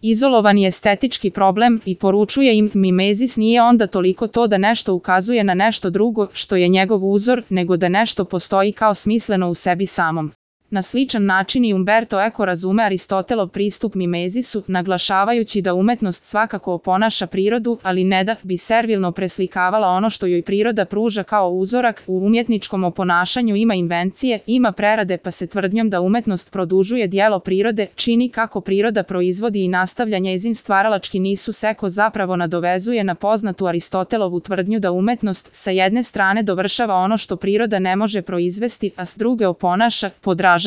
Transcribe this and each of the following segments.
Izolovani estetički problem i poručuje im mimezis nije onda toliko to da nešto ukazuje na nešto drugo što je njegov uzor, nego da nešto postoji kao smisleno u sebi samom. Na sličan način i Umberto Eco razume Aristotelov pristup mimezisu, naglašavajući da umetnost svakako oponaša prirodu, ali ne da bi servilno preslikavala ono što joj priroda pruža kao uzorak. U umjetničkom oponašanju ima invencije, ima prerade, pa se tvrdnjom da umetnost produžuje djelo prirode čini kako priroda proizvodi i nastavlja njezin stvaralački nisus. Eco zapravo nadovezuje na poznatu Aristotelovu tvrdnju da umetnost sa jedne strane dovršava ono što priroda ne može proizvesti, a s druge oponaša, podražava.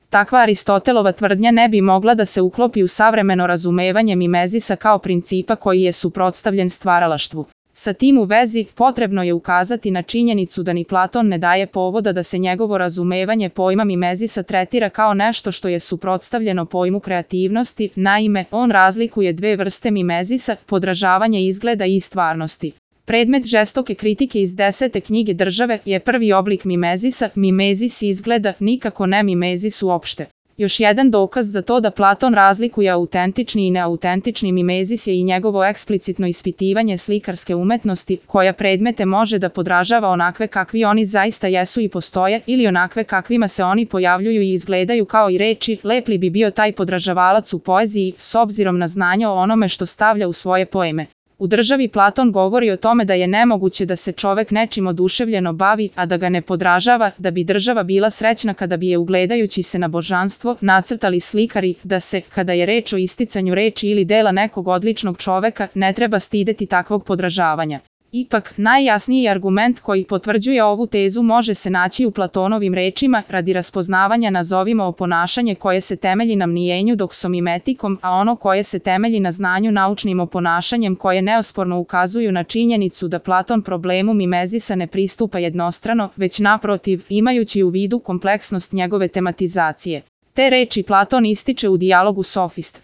Takva Aristotelova tvrdnja ne bi mogla da se uklopi u savremeno razumevanje mimezisa kao principa koji je suprotstavljen stvaralaštvu. Sa tim u vezi, potrebno je ukazati na činjenicu da ni Platon ne daje povoda da se njegovo razumevanje pojma mimezisa tretira kao nešto što je suprotstavljeno pojmu kreativnosti. Naime, on razlikuje dve vrste mimezisa, podražavanje izgleda i stvarnosti. Predmet žestoke kritike iz 10. knjige Države je prvi oblik mimezisa, mimezis izgleda, nikako ne mimezis uopšte. Još jedan dokaz za to da Platon razlikuje autentični i neautentični mimezis je i njegovo eksplicitno ispitivanje slikarske umetnosti, koja predmete može da podražava onakve kakvi oni zaista jesu i postoje, ili onakve kakvima se oni pojavljuju i izgledaju kao i reči. Lepli bi bio taj podražavalac u poeziji, s obzirom na znanje o onome što stavlja u svoje poeme. U Državi Platon govori o tome da je nemoguće da se čovek nečim oduševljeno bavi, a da ga ne podražava, da bi država bila srećna kada bi je ugledajući se na božanstvo nacrtali slikari, da se, kada je reč o isticanju reči ili dela nekog odličnog čoveka, ne treba stideti takvog podražavanja. Ipak, najjasniji argument koji potvrđuje ovu tezu može se naći u Platonovim rečima: radi raspoznavanja nazovimo oponašanje koje se temelji na mnijenju doksomimetikom, a ono koje se temelji na znanju naučnim oponašanjem, koje neosporno ukazuju na činjenicu da Platon problemu mimezisa ne pristupa jednostrano, već naprotiv, imajući u vidu kompleksnost njegove tematizacije. Te reči Platon ističe u dijalogu Sofist.